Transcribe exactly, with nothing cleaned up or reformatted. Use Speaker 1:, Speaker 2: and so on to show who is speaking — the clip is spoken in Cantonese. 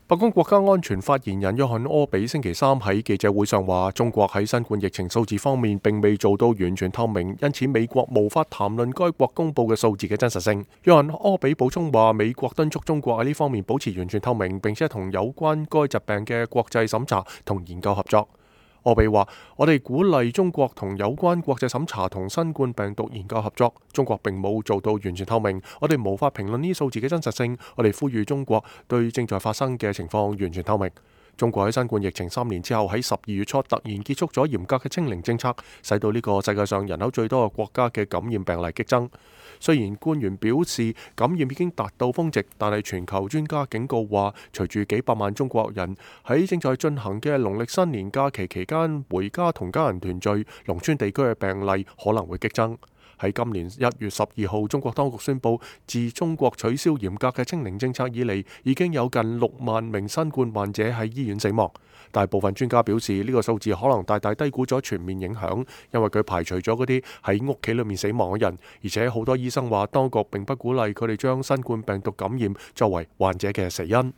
Speaker 1: 白宮國家安全發言人約翰柯比星期三喺記者會上話，中國喺新冠疫情數字方面並未做到完全透明，因此美國無法談論該國公佈嘅數字嘅真實性。約翰柯比補充話，美國敦促中國喺呢方面保持完全透明，並且同有關該疾病嘅國際審查同研究合作。柯比話：我哋鼓勵中國同有關國際審查同新冠病毒研究合作。中國並冇做到完全透明，我哋無法評論呢數字嘅真實性。我哋呼籲中國對正在發生嘅情況完全透明。中國喺新冠疫情三年之後，喺十二月初突然結束咗嚴格嘅清零政策，使到呢個世界上人口最多嘅國家嘅感染病例激增。雖然官員表示感染已經達到峰值，但係全球專家警告話，隨住幾百萬中國人喺正在進行嘅農曆新年假期期間回家同家人團聚，農村地區嘅病例可能會激增。喺今年一月十二號，中國當局宣布，自中國取消嚴格嘅清零政策以嚟，已經有近六萬名新冠患者喺醫院死亡。大部分專家表示，呢個數字可能大大低估咗全面影響，因為佢排除咗嗰啲喺屋企裏面死亡嘅人，而且好多醫生話，當局並不鼓勵佢哋將新冠病毒感染作為患者嘅死因。